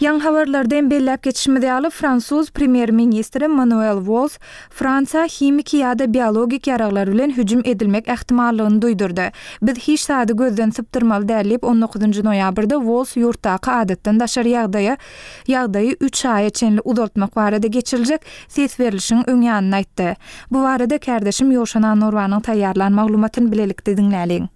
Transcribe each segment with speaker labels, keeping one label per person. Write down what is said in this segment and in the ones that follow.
Speaker 1: Ýaňy habarlarda hem belläp geçişimiz ýaly, fransuz premýer-ministri Manuel Walls Fransiýa himiki ýa-da biologik ýaraglar bilen hüjüm edilmek ähtimallygyny duýdurdy. Biz hiç zady gözden sypdyrmaly däl diýip, on dokuzynjy noýabrda Walls ýurtdaky adatdan daşary ýagdaýa ýagdaýy üç aýa çenli uzaltmak barada geçiriljek ses berlişigiň öň ýanynda aýtdy. Bu barada kärdeşim Ýowşan Annurbanyň taýýarlan maglumatyny bilelikde diňläliň.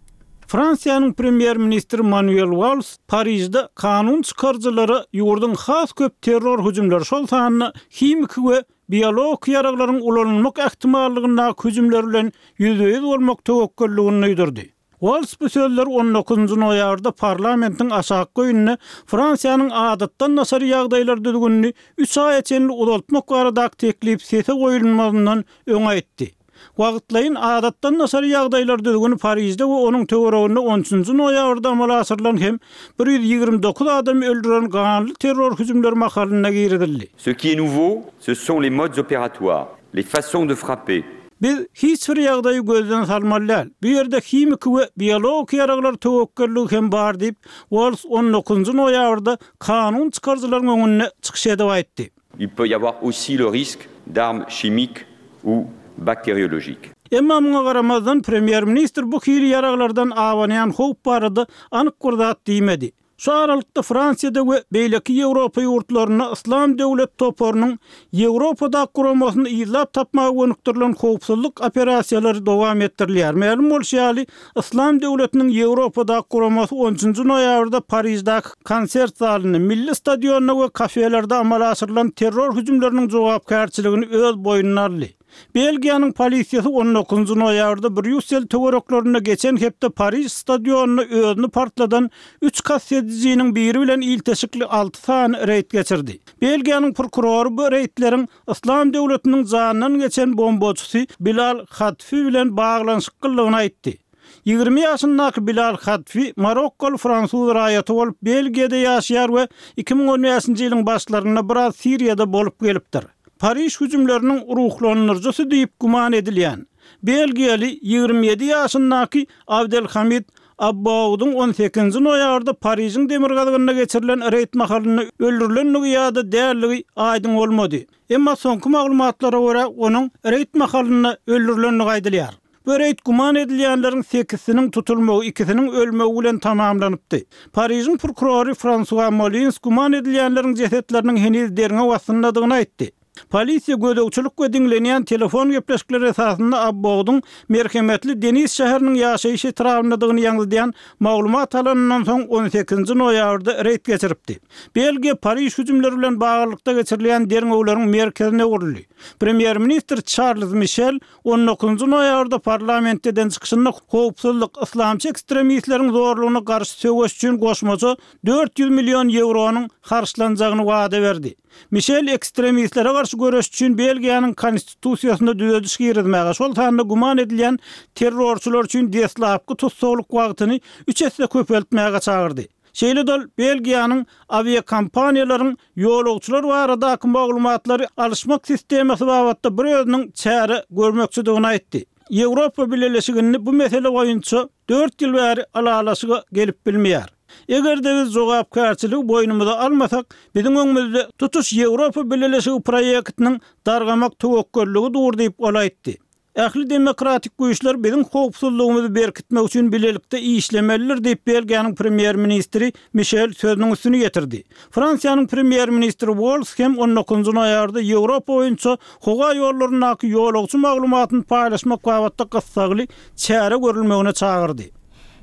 Speaker 2: Fransiýanyň premýer-ministri Manuel Walls Parižde kanun çykaryjylara ýurduň has köp terror hüjümleri, şol sanda himiki we biologiki ýaraglaryň ulanylmak ähtimallygyndaky hüjümler bilen ýüzbe-ýüz bolmak töwekgelligini duýdurdy. Walls bu sözleri on dokuzynjy noýabrda parlamentiň aşakky öýünde Fransiýanyň adatdan daşary ýagdaýlar düzgünini üç aýa çenli uzaltmak baradaky teklip sese goýulmazyndan öň aýtdy. Wagtlaýyn adatdan daşary ýagdaýlar düzgüni Parižde we onuň töwereginde on üçünji noýabrda amala aşyrylan hem 129 adamy öldüren ganly terror hüjümleri mahalynda girizildi.
Speaker 3: Ce qui est nouveau, ce sont les modes opératoires, les façons de frapper.
Speaker 2: Biz hiç bir ýagdaýy gözden salmaly däl. Bu ýerde himiki we biologiki ýaraglar töwekgelligi hem bar diýip, Walls on dokuzynjy noýabrda kanun çykaryjylaryň öňünde çykyş edip aýtdy.
Speaker 3: Il peut y avoir aussi le risque d'armes chimiques ou bactériologiques.
Speaker 2: Emma muňa garamazdan, premýer-ministr bu hili ýaraglardan abanýan howp barada anyk bir zat diýmedi. Şu aralykda Fransiýada we beýleki Ýewropa ýurtlarynda Yslam döwlet toparynyň Ýewropadaky guramasyny yzlap tapmaga gönükdirilen howpsuzlyk operasiýalary dowam etdirilýär. Mälim bolşy ýaly, Yslam döwletiniň Ýewropadaky guramasy on üçünji noýabrda Pariždäki konsert zalynda, milli stadionda we kafelerde amala aşyrylan terror hüjümleriniň jogapkärçiligini öz boýnuna aldy. Belgiýanyň polisiýasy on dokuzynjy noýabrda Brýussel töwereklerinde geçen hepde Pariž stadionynda özüni partladan üç kast edijiniň biri bilen ilteşikli alty sany reýd geçirdi. Belgiýanyň prokurory bu reýdleriň Yslam döwletiniň janyndan geçen bombaçysy Bilal Hadfi bilen baglanyşyklydygyny aýtdy. 20 ýaşyndaky Bilal Hadfi marokkaly fransuz raýaty bolup, Belgiýada ýaşaýar we 2015-nji ýylyň başlarynda biraz Siriýada bolup gelipdir. Pariž hüjümleriniň ruhlandyryjysy diýip güman edilýän, belgiýaly 27 ýaşyndaky Abdelhamid Abbaudyň on sekizinji noýabrda Parižiň demirgazygynda geçirilen reýd mahalynda öldürilendigi ýa-da däldigi aýdyň bolmady. Emma soňky maglumatlara görä, onuň reýd mahalynda öldürilendigi aýdylýar. Bu reýd güman edilýänleriň sekizsiniň tutulmagy, ikisiniň ölmegi bilen tamamlanypdy. Parižiň prokurory Fransua Molins güman edilýänleriň jesetleriniň heniz derňew astyndadygyny aýtdy. Polisiýa gözegçilik we diňlenýän telefon gepleşikleri esasynda Abboudyň merhemetli Denis şäheriniň ýaşaýyş etrabyndadygyny ýaňzydýan maglumat alanyndan soň on sekizinji noýabrda reýd geçiripdi. Belgiýa Pariž hüjümleri bilen baglylykda geçirilýän derňewleriň merkezine öwrüldi. Premýer-ministr Çarlz Mişel on dokuzynjy noýabrda parlamentde eden çykyşynda howpsuzlyk, yslamçy ekstremistleriň zorlugyna garşy söweş üçin goşmaça 400 million ýewronyň harçlanjagyny wada berdi. Mişel ekstremistlere garşy göreş üçin Belgiýanyň Konstitusiýasyna düzediş girizmäge, şol sanda güman edilýän terrorçylar üçin deslapky tussaglyk wagtyny üç esse köpeltmäge çagyrdy. Şeýle-de ol Belgiýanyň awiakompaniýalaryň ýolagçylar baradaky maglumatlary alyşmak sistemasy babatda bir özüniň çäre görmekçidigini aýtdy. Ýewropa Bileleşiginde bu mesele boýunça dört ýyl bäri ylalaşyga gelip bilmeýär. Eger-de biz jogapkärçiligi boýnumyza almasak, biziň öňümizde tutuş Ýewropa Bileleşigi proýektiniň dargamak töwekgelligi dur diýip, ol aýtdy. Ähli demokratik güýçler biziň howpsuzlygymyzy berkitmek üçin bilelikde işlemelidir diýip, Belgiýanyň premýer-ministri Mişel sözüniň üstüni ýetirdi. Fransiýanyň premýer-ministri Walls hem on dokuzynjy noýabrda Ýewropa boýunça howa ýollaryndaky ýolagçy maglumatyny paýlaşmak babatda gyssagly çäre görülmegine çagyrdy.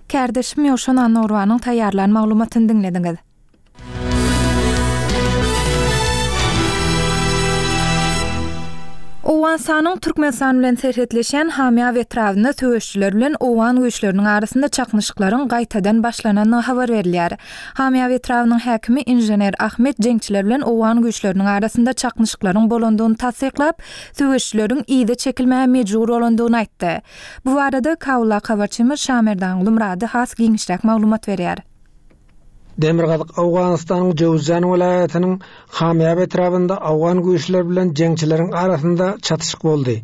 Speaker 1: Kärdeşim Ýowşan Annagurbanyň taýýarlan maglumatyny diňlediňiz. Owganystanyň Türkmenistan bilen serhetleşýän Hamýab etrabynda söweşijiler bilen owgan güýçleriniň arasynda çaknyşyklaryň gaýtadan başlanandygy habar berilýär. Hamýab etrabynyň häkimi inžener Ahmet jeňçiler bilen owgan güýçleriniň arasynda çaknyşyklaryň bolandygyny tassyklap, söweşijileriň yza çekilmäge mejbur bolandygyny aýtdy. Bu barada Kabuldaky habarçymyz Şamerdan Gulmyrady has giňişräk maglumat berýär.
Speaker 4: Demirgazyk Owganystanyň Jöwüzjan welaýatynyň Hamýap etrabynda owgan güýçleri bilen jeňçileriň arasynda çatyşyk boldy.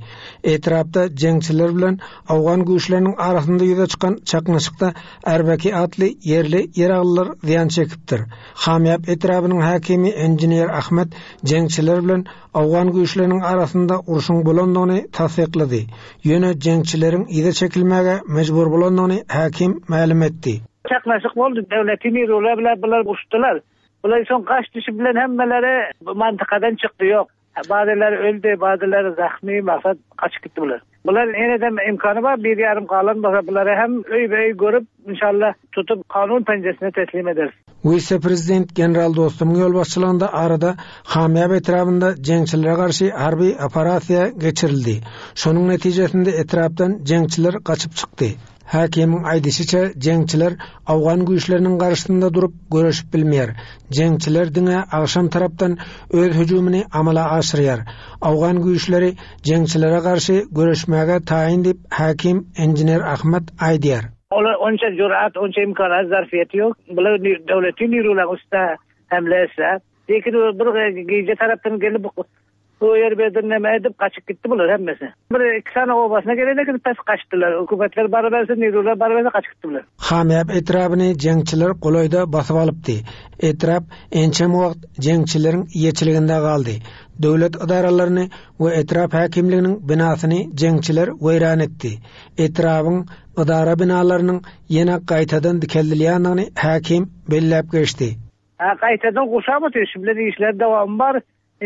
Speaker 4: Etrapda jeňçiler bilen owgan güýçleriniň arasynda ýüze çykan çaknyşykda Ärbeki atly ýerli ýaraglylar zyýan çekipdir. Hamýap etrabynyň häkimi enjiner Ahmet jeňçiler bilen owgan güýçleriniň arasynda urşuň bolandygyny tassyklady. Ýöne jeňçileriň yza çekilmäge mejbur bolandygyny häkim mälim etdi.
Speaker 5: Çaknaşyk boldy, döwleti nirular bilen bular uruşdylar. Bular soň gaç düşüp bilen hemmeleri bu mantykadan çykdy ýok. Bazylary öldi, bazylary zahmy, maksat gaçyp gitdi bular. Bular enedem imkany bar, bir ýarym galan bolsa bulary hem öýbe-öý görüp, inşallah tutup kanun penjesine teslim ederis.
Speaker 4: Wise-prezident general Dostumyň ýolbaşçylygynda arada Hamýap etrabynda jeňçilere garşy harby operasiýa geçirildi. Şonuň netijesinde etrapdan jeňçiler gaçyp çykdy. Häkimiň aýdyşyça, jeňçiler owgan güýçleriniň garşysynda durup göreşip bilmeýär. Jeňçiler diňe agşam tarapdan öz hüjümini amala aşyrýar. Owgan güýçleri jeňçilere garşy göreşmäge taýyn diýip, häkim enjiner Ahmad aýdýar.
Speaker 5: Olar onça jurat, onça imkanat, zarfiýeti ýok. Bular döwleti nirulaň üstüne hemle etse. Lekin bir gije tarapdan gelip Bu ýer berdi neme edip gaçyp gitdi bular hemmesi. Bir iki sany obasyna gelen eken pes gaçdylar. Hökümetler baryberse nirular baryberse gaçyp gitdi bular.
Speaker 4: Hamýap etrabyny jeňçiler golaýda basyp alypdy. Etrap ençeme wagt jeňçileriň eýeçiliginde galdy. Döwlet edaralaryny we etrap häkimliginiň binasyny jeňçiler weýran etdi. Etrabyň edara binalarynyň ýene gaýtadan dikeldilýändigini häkim belläp geçdi.
Speaker 5: Ha gaýtadan gurşap otyr şu bilen işler dowamy bar.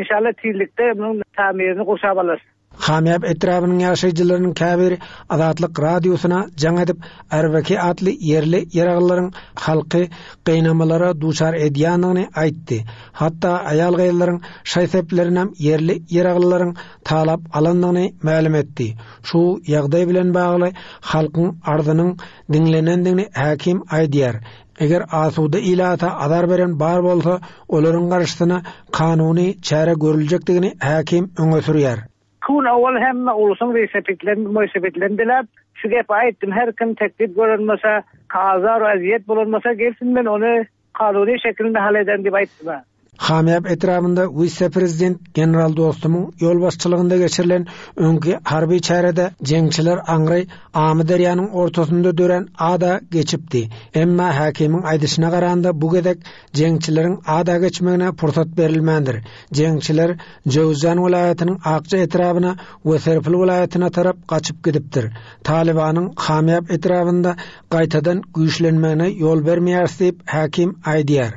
Speaker 5: Inşallah tizlikde munuň tamirini gurşap alarys.
Speaker 4: Hamýap etrabynyň ýaşaýjylarynyň käbiri Azatlyk Radiosyna jaň edip, Arbeki atly ýerli ýaraglylaryň halky gynamalara duçar edýändigini aýtdy. Hatda aýal-gyzlaryň şaý-seplerinem ýerli ýaraglylaryň talap alandygyny mälim etdi. Şu ýagdaý bilen bagly halkyň arzynyň diňlenendigini häkim aýdýar. Eger asuda ilata azar beren bar bolsa, olaryň garşysyna kanuny çäre görüljekdigini häkim öňe sürýär.
Speaker 5: Gün owal hemme ulusyň wesepitlerini, moýsepitlerini diläp, şu gepi aýtdym, her kim teklip gören bolsa, azar, ezýet bolan bolsa gelsin men ony kanuny şekilinde hal ederin diýip aýtdym.
Speaker 4: Hamýap etrabynda wise-prezident general Dostumyň ýolbaşçylygynda geçirilen öňki harby çärede jeňçiler aňry Amyderýanyň ortasynda dörän ada geçipdi. Emma häkimiň aýdyşyna garanda bu gezek jeňçileriň ada geçmegine pursat berilmändir. Jeňçiler Jöwüzjan welaýatynyň Akja etrabyna we Serpil welaýatyna tarap gaçyp gidipdir. Talybanyň Hamýap etrabynda gaýtadan güýçlenmegine ýol bermeýäris diýip, häkim aýdýar.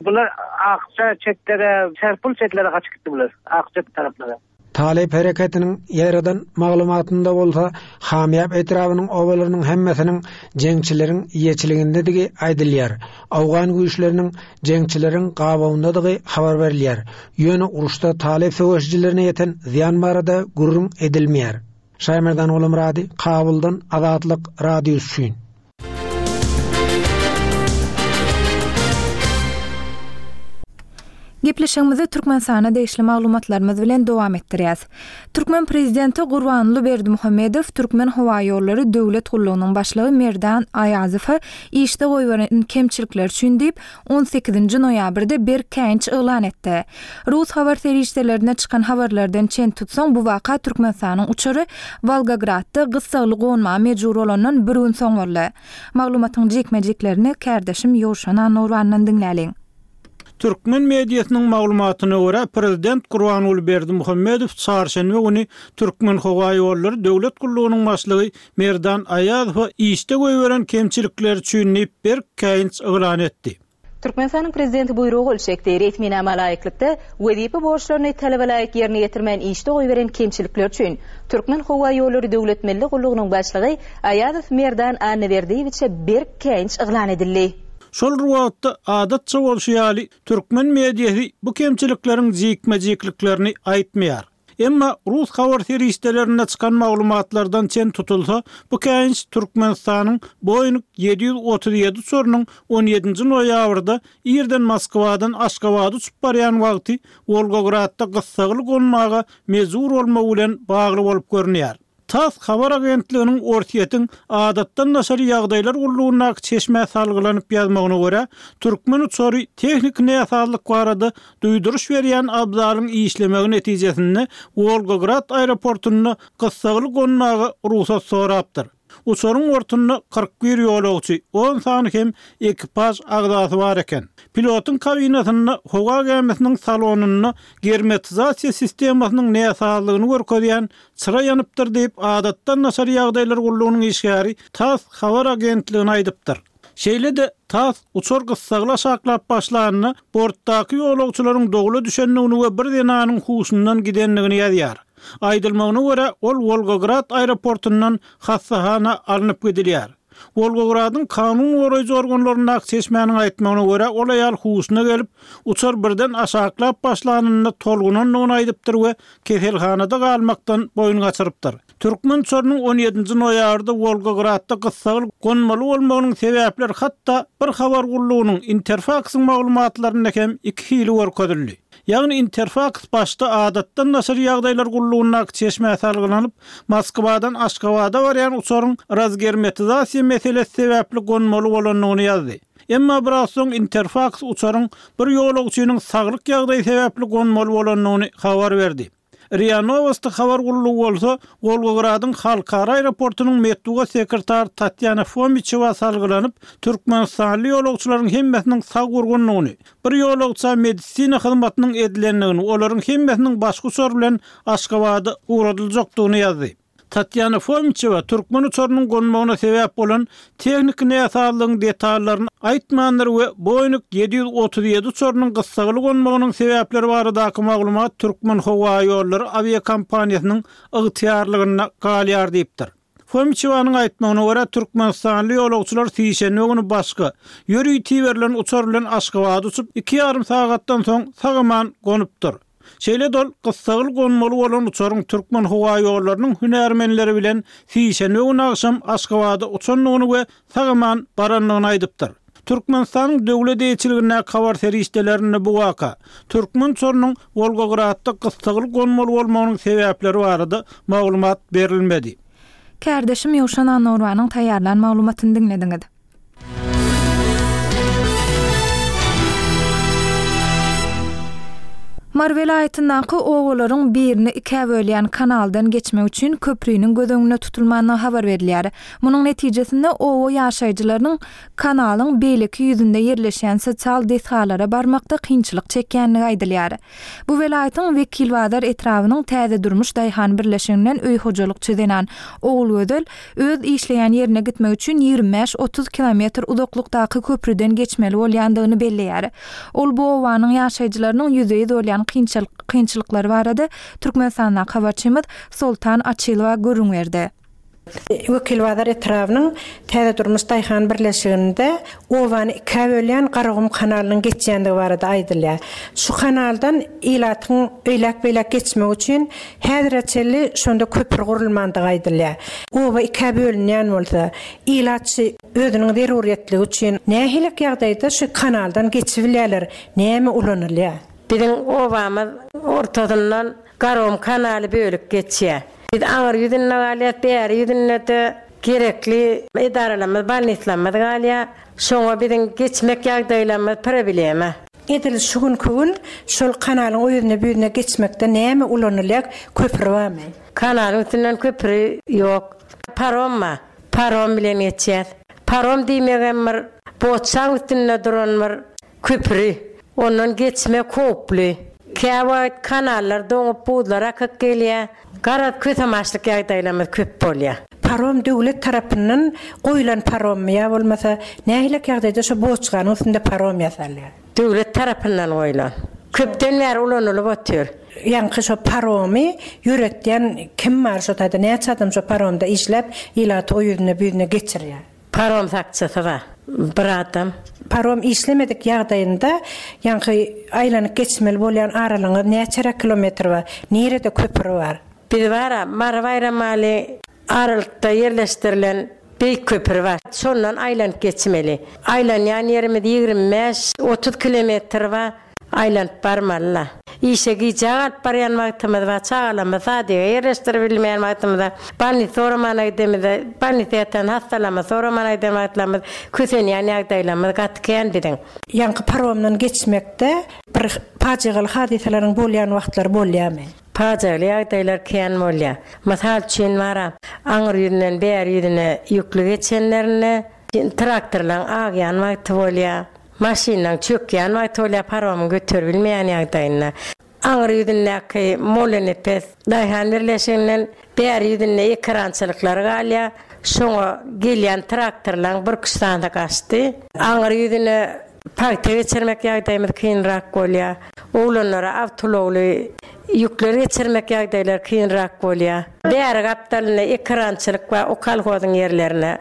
Speaker 5: Bular Akja çetlere, Serpul çetlere gaçyp gitdi bular, Akja taraplara.
Speaker 4: Talyp hereketiniň ýaýradan maglumatynda bolsa, Hamýap etrabynyň obalarynyň hemmesiniň jeňçileriň eýeçiligindedigi aýdylýar. Owgan güýçleriniň jeňçileriň gabawyndadygy habar berilýär. Ýöne uruşda talyp söweşijilerine ýeten zyýan barada gürrüň edilmeýär. Şaýmerdan Gulumyrady, Kabuldan Azatlyk Radiosy üçin.
Speaker 1: Gepleşigimizi Türkmenistana degişli maglumatlarymyz bilen dowam etdirýäs. Türkmen prezidenti Gurbanguly Berdimuhamedow Türkmenhowaýollary döwlet gullugynyň başlygy Merdan Aýazowa işde goýberen kemçilikleri üçin diýip, on sekizinji noýabrda berk käýinç yglan etdi. Rus habar serişdelerinde çykan habarlardan çen tutsaň, bu waka Türkmenistanyň uçary Wolgogradda gyssagly gonmaga mejbur bolandan bir gün soň boldy. Maglumatyň jikme-jiklerini kärdeşim Ýowşan Annagurbandan diňläliň.
Speaker 2: Türkmen mediasynyň maglumatyna görä, prezident Gurbanguly Berdimuhamedow çarşenbe güni Türkmenhowaýollary döwlet gullugynyň başlygy Merdan Aýazowa işde goýberen kemçilikleri üçin diýip berk käýinç yglan etdi.
Speaker 6: Türkmenistanyň Prezidenti buýruga gol çekdi. Resminama laýyklykda, wezipe borçlaryny talabalaýyk ýerine ýetirmän işde goýberen kemçilikleri üçin Türkmenhowaýollary döwlet milli gullugynyň başlygy Aýazow Merdan Annaberdiýewiçe berk käýinç yglan edildi.
Speaker 2: Şol bir wagtda, adatça bolşy ýaly, türkmen mediasy bu kemçilikleriň jikme-jikliklerini aýtmaýar. Emma rus habar serişdelerinde çykan maglumatlardan çen tutulsa, bu käýinç Türkmenistanyň Boeing 737 uçarynyň on ýedinji noýabrda irden Moskwadan Aşgabada uçup barýan wagty Wolgogradda gyssagly gonmaga mejbur bolmagy bilen bagly bolup görünýär. Tass habar agentliginiň Orsýetiň Adatdan daşary ýagdaýlar gullugyndaky çeşmä salgylanyp ýazmagyna görä, türkmen uçary tehniki näsazlyk barada duýduryş berýän abzalyň işlemegi netijesinde Wolgograd aeroportunda gyssagly gonmaga rugsat sorapdyr. Uçaryň bortunda 41 ýolagçy, on sany hem ekipaž agzasy bar eken. Pilotyň kabinasynda howa gämisiniň salonynda germetizasiýa sistemasynyň näsazlygyny görkezýän çyra ýanypdyr diýip, Adatdan daşary ýagdaýlar gullugynyň işgäri tass habar agentligine aýdypdyr. Şeýle-de, tass uçar gyssagly aşaklap başlanda, bortdaky ýolagçylaryň dowla düşendigini we bir zenanyň huşundan gidendigini ýazýar. Aýdylmagyna görä, ol Wolgograd aeroportundan hassahana alnyp gidilýär. Wolgogradyň kanun goraýjy organlaryndaky çeşmäniň aýtmagyna görä, ol aýal huşuna gelip, uçar birden aşaklap başlanynda tolgunandygyny aýdypdyr we keselhanada galmakdan boýun gaçyrypdyr. Türkmen uçarynyň on ýedinji noýabrda Wolgogradda gyssagly gonmaly bolmagynyň sebäpleri hatda bir habar gullugynyň, Interfaksyň maglumatlarynda hem iki hili görkezildi. Ýagny Interfaks başda Adatdan daşary ýagdaýlar gullugyndaky çeşmä salgylanyp, Moskwadan Aşgabada barýan uçaryň razgermetizasiýa meselesi sebäpli gonmaly bolandygyny ýazdy. Emma biraz soň Interfaks uçaryň bir ýolagçynyň saglyk ýagdaýy sebäpli gonmaly bolandygyny habar berdi. Ria Nowosti habar gullugy bolsa, Wolgogradyň halkara aeroportunyň metbugat sekretary Tatýana Fomiçewa salgylanyp, türkmenistanly ýolagçylaryň hemmesiniň sag-gurgundygyny, bir ýolagça medisina hyzmatynyň edilendigini, olaryň hemmesiniň başga uçar bilen Aşgabada ugradyljakdygyny ýazdy. Tatýana Fomiçewa türkmen uçarynyň gonmagyna sebäp bolan tehniki näsazlygyň detallaryny aýtmandyr we Boeing 737 uçarynyň gyssagly gonmagynyň sebäpleri baradaky maglumat Türkmenhowaýollary awiakompaniýasynyň ygtyýarlygynda galýar diýipdir. Fomiçewanyň aýtmagyna görä, türkmenistanly ýolagçylar sişenbe güni başga, ýörite iberilen uçar bilen Aşgabada uçup, iki ýarym sagatdan soň sag-aman gonupdyr. Şeýle-de ol gyssagly gonmaly bolan uçaryň Türkmenhowaýollarynyň hünärmenleri bilen sişenbe güni agşam Aşgabada uçandygyny we sag-aman barandygyny aýdypdyr. Türkmenistanyň döwlet eýeçiligindäki habar serişdelerinde bu waka, türkmen uçarynyň Wolgogradda gyssagly gonmaly bolmagynyň sebäpleri barada maglumat berilmedi.
Speaker 1: Kärdeşim Ýowşan Annagurbanyň taýýarlan maglumatyny diňlediňiz. Mary welaýatyndaky obalaryň birini ikä bölýän kanaldan geçmek üçin köpriniň göz öňünde tutulmandygy habar berilýär. Munuň netijesinde oba ýaşaýjylarynyň kanalyň beýleki ýüzünde ýerleşýän sosial desgalara barmakda kynçylyk çekýändigi aýdylýar. Bu welaýatyň Wekilbazar etrabynyň Täze durmuş daýhan birleşiginden öý hojalykçy zenan Ogulgözel öz işleýän ýerine gitmek üçin 25-30 kilometr uzaklykdaky köprüden geçmeli bolýandygyny belleýär. Ol bu obanyň ýaşaýjylarynyň ýüzbe-ýüz bolýan kynçylyklary barada Türkmenistandaky habarçymyz Soltan Açylowa gürrüň berdi.
Speaker 7: Wekilbazar etrabynyň Täze durmuş daýhan birleşiginde obany ikä bölýän Garagum kanalynyň geçýändigi barada aýdylýar. Şu kanaldan ilatyň eýläk-beýläk geçmegi üçin häzire çenli şonda köpri gurulmandygy aýdylýar. Oba ikä bölünýän bolsa, ilat şu özüniň zeruryýetligi üçin nähilek ýagdaýda şu kanaldan geçibilýärler, näme ulanylýar?
Speaker 8: Biziň obamyz ortasyndan Garagum kanaly bölüp geçýär. Biz aňyr ýüzünde galýas, bäri ýüzünde-de gerekli edaralarymyz, bolnislarymyz galýar. Şoňa biziň geçmek ýagdaýlarymyz problema.
Speaker 7: Edil şu günki gün şol kanalyň o ýüzüne bu ýüzüne geçmekde näme ulanylýar, köpri barmy?
Speaker 8: Kanalyň üstünden köpri ýok. Parom bar. Parom bilen geçýäs. Parom diýmegem bir boçaň üstünde duran bir Köpri. Ondan geçmek howply. Käwagt kanallar doňup, buzlar akyp gelýär. Garaz, kösemaçlyk ýagdaýlarymyz köp bolýar.
Speaker 7: Parom döwlet tarapyndan goýlan parommy ýa bolmasa nähilek ýagdaýda şo boçkanyň üstünde parom ýasalýar?
Speaker 8: Döwlet tarapyndan goýlan. Köpden bäri ulanylyp otyr.
Speaker 7: Ýaňky şo paromy ýöretýän kim bar şo taýda näçe adam şo paromda işläp ilaty o ýüzüne bu ýüzüne geçirýär?
Speaker 8: Parom sakçysy bar. Bir adam.
Speaker 7: Parom işlemedik ýagdaýynda ýaňky aýlanyp geçmeli bolýan aralygyňyz näçeräk kilometr bar? Nirede köpri bar?
Speaker 8: Biz bar-a, Mary-Baýramaly aralykda ýerleşdirilen beýik köpri bar. Şondan aýlanyp geçmeli. Aýlanýan ýerimiz 25, 30 kilometr bar. Aýlanyp barmaly-la. Işe gijä galyp barýan wagtymyz bar, çagalarymyzy sadige ýerleşdirip bilmeýän wagtymyz bar. Bolnisa soramana gidemizde, bolnisa ýatan hassalarymyzy soramana giden wagtlarymyz kösenýän ýagdaýlarymyz gaty kän biziň.
Speaker 7: Ýaňky paromdan geçmekde bir pajygaly hadysalaryň bolýan wagtlary bolýarmy?
Speaker 8: Pajygaly ýagdaýlar kän bolýar. Mysal üçin, bara aňry ýüzünden bäri ýüzüne ýükli geçenlerinde traktorlaryň agýan wagty bolýar, maşynlaryň çökýän wagty bolýar, paromyň göterip bilmeýän ýagdaýynda. Aňry ýüzündäki Mollanepes daýhan birleşiginden bäri ýüzünde ekerançylyklary galýar. Şoňa gelýän traktorlaryň birküç sany gaçdy. Aňry ýüzüne pagta geçirmek ýagdaýymyz kynrak bolýar. Oglanlara awtoulagly ýükler geçirmek ýagdaýlary kynrak bolýar. Bäri gapdalynda ekerançylyk bar, o kolhozyň ýerlerine.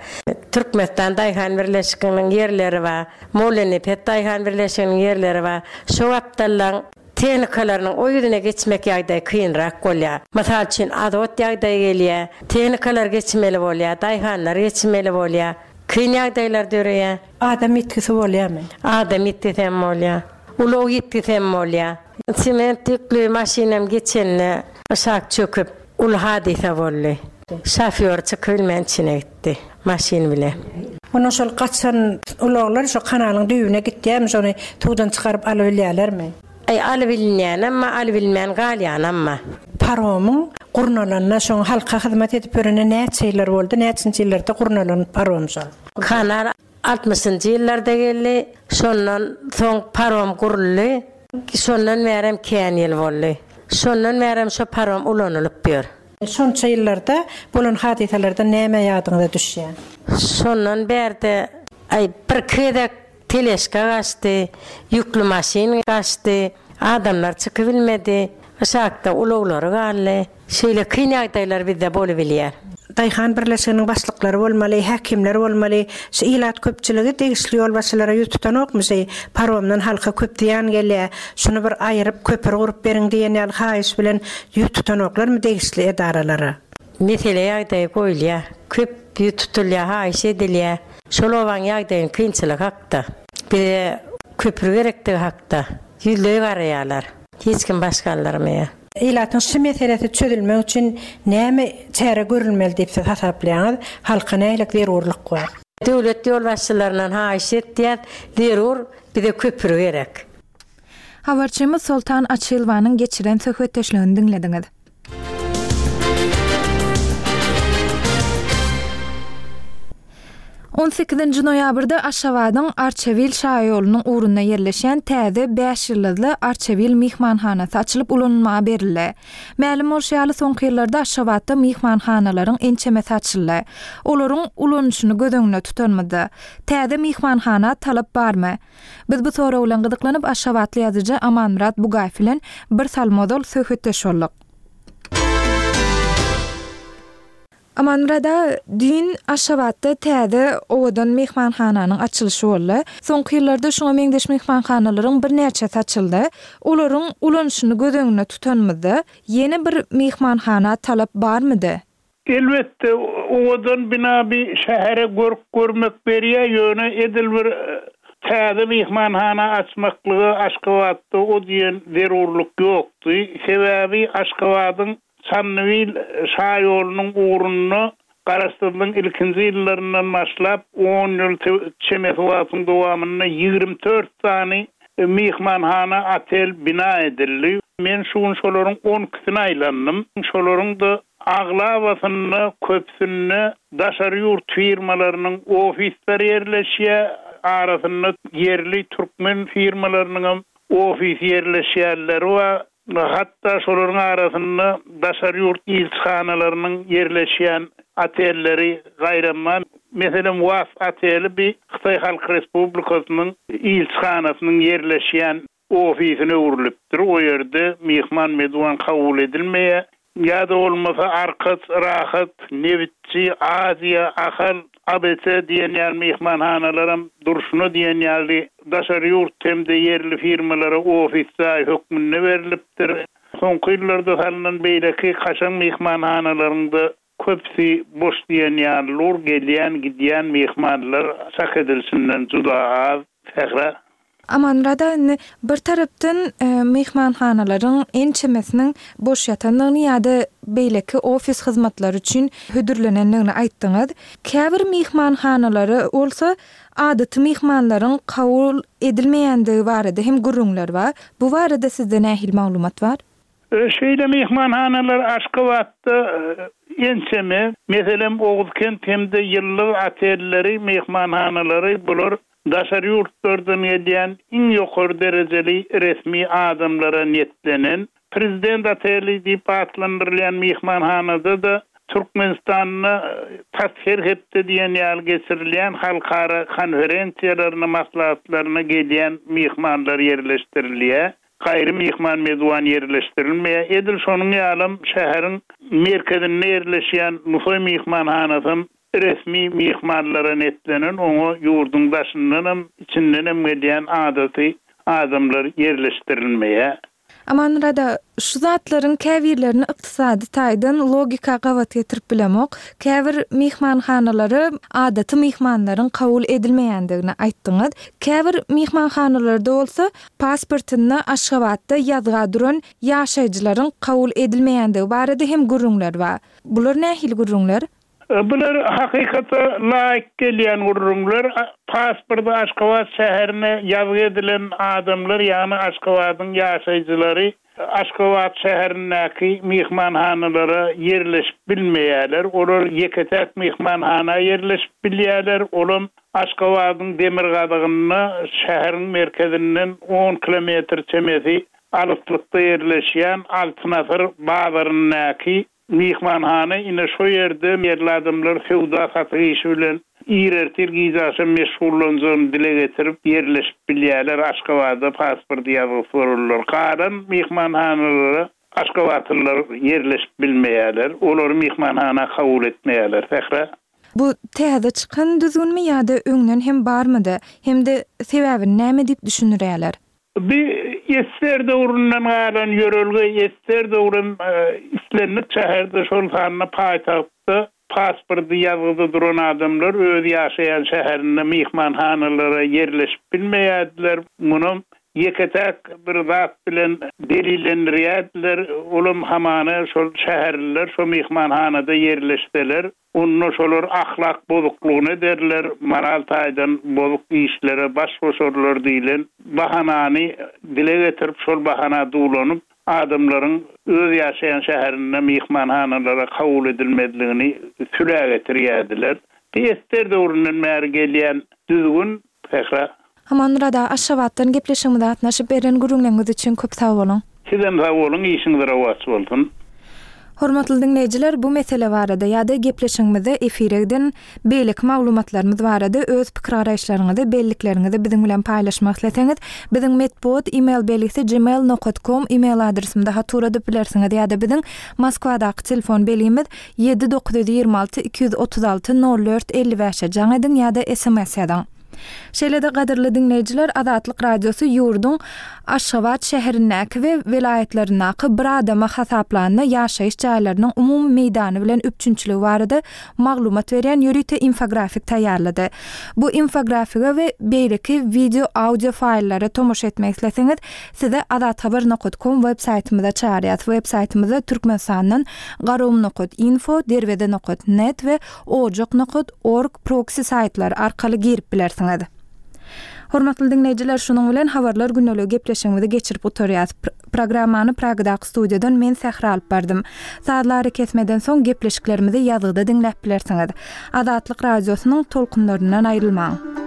Speaker 8: Türkmenistan daýhan birleşiginiň ýerleri bar. Mollanepes daýhan birleşiginiň ýerleri bar. Şo gapdallaň tehnikalarynyň o ýüzüne geçmek ýagdaýy kynrak bolýar. Mysal üçin, azot ýagdaýy gelýär, tehnikalar geçmeli bolýar, daýhanlar geçmeli bolýar. Kyn ýagdaýlar döreýär.
Speaker 7: Adam ýitgisi bolýarmy?
Speaker 8: Adam ýitgisi hem bolýar. Ulag ýitgisi hem bolýar. Sement ýükli maşynam geçende aşak çöküp, uly hadysa boldy. Şofýor çykybilmän içine gitdi maşyn bilen.
Speaker 7: Onda şol gaçan ulaglar şo kanalyň düýbüne gitýärmi, şony suwdan çykaryp alybilýärlermi?
Speaker 8: Aý, alybilinýänem bar, alybilmän galýanam bar.
Speaker 7: Paromyň gurnalanyna, şoň halka hyzmat edip ýörene näçe ýyllar boldy, näçinji ýyllarda gurnalan parom şol?
Speaker 8: Kanal altmyşynjy ýyllarda geldi, şondan soň parom guruldy, şondan bärem kän ýyl boldy. Şondan bärem şo parom ulanylyp ýör.
Speaker 7: Şonça ýyllarda bolan hadysalardan näme ýadyňyza düşýär?
Speaker 8: Şondan bärde, aý, birki gezek Teležka gaçdy, ýükli maşyn gaçdy, adamlar çykybilmedi, yşakda ulaglary galdy. Şeýle kyn ýagdaýlar bizde bolubilýär.
Speaker 7: Daýhan birleşiginiň başlyklary bolmaly, häkimler bolmaly. Şu ilat köpçüligi degişli ýolbaşçylara ýüz tutanokmy şeý paromdan halka köp zyýan gelýär, şuny bir aýyryp köpri gurup beriň diýen ýaly haýyş bilen ýüz tutanoklarmy degişli edaralara?
Speaker 8: Mesele ýagdaýy goýulýar. Köp ýüz tutulýar, haýyş edilýär. Şol obaň ýagdaýynyň kynçylygy hakda, bize köpri gerekdigi hakda ýüzleý garaýarlar. Hiç kim baş galdyrmaýar.
Speaker 7: Ilatyň şu meselesi çözülmek üçin näme çäre görülmeli diýip siz hasaplaýaňyz? Halka nähili zerurlyk bar?
Speaker 8: Döwlet ýolbaşçylaryndan haýyş etýäs, zerur bize köpri gerek.
Speaker 1: Habarçymyz Soltan Açylowanyň geçiren söhbetdeşligini diňlediňiz. On sekizinji noýabrda Aşgabadyň Arçabil şaýolunyň ugrunda ýerleşýän täze bäş ýyldyzly Arçabil myhmanhanasy açylyp ulanylmaga berildi. Mälim bolşy ýaly, soňky ýyllarda Aşgabatda myhmanhanalaryň ençemesi açyldy. Olaryň ulanyşyny göz öňünde tutanymyzda, täze myhmanhana talap barmy? Biz bu sorag bilen gyzyklanyp, aşgabatly ýazyjy Amanmyrat Bugaýew bilen bir salym ozal söhbetdeş bolduk. Amanmyrat aga, düýn Aşgabatda täze owadan myhmanhananyň açylyşy boldy. Soňky ýyllarda şuňa meňzeş myhmanhanalaryň birnäçesi açyldy. Olaryň ulanyşyny göz öňünde tutanymyzda, ýene bir myhmanhana talap barmydy?
Speaker 9: Elbetde, owadan bina bi şähere görk görmek berýär, ýöne edil bir täze myhmanhana açmaklyga Aşgabatda o diýen zerurlyk ýokdy. Sebäbi Aşgabadyň Çandybil şaýolunyň ugrunda Garaşsyzlygyň ilkinji ýyllaryndan başlap on ýyl çemesi wagtyň dowamynda 24 sany myhmanhana, otel bina edildi. Men şu gün şolaryň on ikisine aýlandym. Şolaryň-da Aglabasynda, köpüsinde daşary ýurt firmalarynyň ofisleri ýerleşýär, arasynda ýerli türkmen firmalarynyňam ofisi ýerleşýänleri bar. Hatda şolaryň arasynda daşary ýurt ilçihanalarynyň ýerleşýän otelleri gaýram bar. Meselem, Was oteli bi Hytaý Halk Respublikasynyň ilçihanasynyň ýerleşýän ofisine öwrülipdir, o ýerde myhman-meduwan kabul edilmeýär. Ýa-da bolmasa Arkaç, Rahat, Nebitçi, Aziýa, Ahal, ABC diýen ýaly myhmanhanalaram durşuna diýen ýaly daşary ýurt hem-de ýerli firmalara ofis jaý hökmünde berlipdir. Soňky ýyllarda salnan beýleki kaşaň myhmanhanalaryň-da Köpüsi boş diýen ýaly lur, gelýän, gidýän myhmanlar çak edilişinden juda az. Sähra.
Speaker 1: Amanmyrat aga, indi bir tarapdan myhmanhanalaryň ençemesiniň boş ýatandygyny ýa-da beýleki ofis hyzmatlary üçin hödürlenendigini aýtdyňyz. Käbir myhmanhanalara bolsa adaty myhmanlaryň kabul edilmeýändigi barada hem gürrüňler bar. Bu barada sizde nähili maglumat bar?
Speaker 9: Şeýle myhmanhanalar Aşgabatda ençeme. Meselem, Oguzkent hem-de Ýyldyz otelleri, myhmanhanalary bular daşary ýurtlardan gelýän iň ýokary derejeli resmi adamlara niýetlenen. Prezident oteli diýip atlandyrylýan myhmanhanada-da Türkmenistanda tas her hepde diýen ýaly geçirilýän halkara konferensiýalaryna, maslahatlaryna gelýän myhmanlar ýerleşdirilýär. Gaýry myhman-mezuwan ýerleşdirilmeýär. Edil şonuň ýalam şäheriň merkezinde ýerleşýän Nusaý myhmanhanasam resmi myhmanlara netlenen, oňa ýurduň daşyndanam, içindenem gelýän adaty adamlar ýerleşdirilmeýär.
Speaker 1: Amanmyrat aga, şu zatlaryň käbirlerini ykdysady taýdan logika gabat getirip bilemok. Käbir myhmanhanalara adaty myhmanlaryň kabul edilmeýändigini aýtdyňyz. Käbir myhmanhanalarda bolsa pasportynda Aşgabatda ýazga duran ýaşaýjylaryň kabul edilmeýändigi barada hem gürrüňler bar. Bular nähili gürrüňler?
Speaker 9: Bular hakykata laýyk gelýän gürrüňler. Pasporty Aşgabat şäherine ýazgy edilen adamlar, ýagny Aşgabadyň ýaşaýjylary Aşgabat şäherindäki myhmanhanalara ýerleşip bilmeýärler. Olar ýeke-täk myhmanhana ýerleşip bilýärler, olam Aşgabadyň demirgazygynda, şäheriň merkezinden on kilometr çemesi alyslykda ýerleşýän Altyn asyr bazaryndaky Myhmanhana ine şo ýerde ýerli adamlar söwda-satyk işi bilen ir ertir gije agşam meşgullanjagyny dile getirip ýerleşip bilýärler Aşgabatda pasporty ýazgysy bolanlar. Galan myhmanhanalara aşgabatlylar ýerleşip bilmeýärler. Olary myhmanhana kabul etmeýärler. Sähra.
Speaker 1: Bu täze çykan düzgünmi ýa-da öňden hem barmydy? Hem-de sebäbini näme diýip düşündirýärler?
Speaker 9: Bu esser döwründen galan ýörelge, esser döwrem islendik şäherde, şol sanda paýtagtda pasporty ýazgyda duran adamlar öz ýaşaýan şäherinde myhmanhanalara ýerleşip bilmeýärdiler. Munam ýeke-täk bir zat bilen delillendirýärdiler, olam hamana şol şäherliler şo myhmanhanada ýerleşseler, Onda şolar ahlak bozuklygyny ederler, moral taýdan bozuk işlere baş goşarlar diýlen bahanany dile getirip, şol bahana duwlanyp, adamlaryň öz ýaşaýan şäherinde myhmanhanalara kabul edilmezligini sülä getirýärdiler. Bu ester döwründen bäri gelýän düzgün, Sähra.
Speaker 1: Amanmyrat aga Aşgabatdan gepleşigimize gatnaşyp beren gürrüňleriňiz üçin köp sag boluň.
Speaker 9: Sizem sag boluň işiňiz rowaç bolsun.
Speaker 1: Hormatly diňleýjiler bu mesele barada ýa-da gepleşigimizde efire giden beýleki maglumatlarymyz barada öz pikir-garaýyşlaryňyzy, bellikleriňizi biziň bilen paýlaşmak isleseňiz, biziň metbugat email belgisi gmail nokat kom email adresimize hat ugradyp bilersiňiz ýa-da biziň Moskwadaky telefon belgimiz ýedi 926 236 04 55-e jaň ediň ýa-da sms ýazyň. Şeýle-de gadyrly diňleýjiler Azatlyk Radiosy ýurduň Aşgabat şäherindäki we welaýatlaryndaky bir adama hasaplanda ýaşaýyş jaýlarynyň umumy meýdany bilen üpjünçiligi barada maglumat berýän ýörite infografik taýýarlady. Bu infografige we beýleki wideo, audio faýllara tomaşa etmek isleseňiz, sizi azathabar nokat kom web saýtymyza çagyrýas. Web saýtymyzda Türkmenistandan garagum nokat info, derweze nokat net we ojak nokat org proksi saýtlary arkaly girip bilersiňiz. Hormatly diňleýjiler, şunuň bilen Habarlar gündeliği gepleşigimizi geçirip gutarýas. Programmany Pragadaky studiýadan men Sähra alyp bardym. Sazly arakesmeden soň gepleşiklerimizi ýazgyda diňläp bilersiňiz. Azatlyk Radiosynyň tolkunlaryndan aýrylmaň!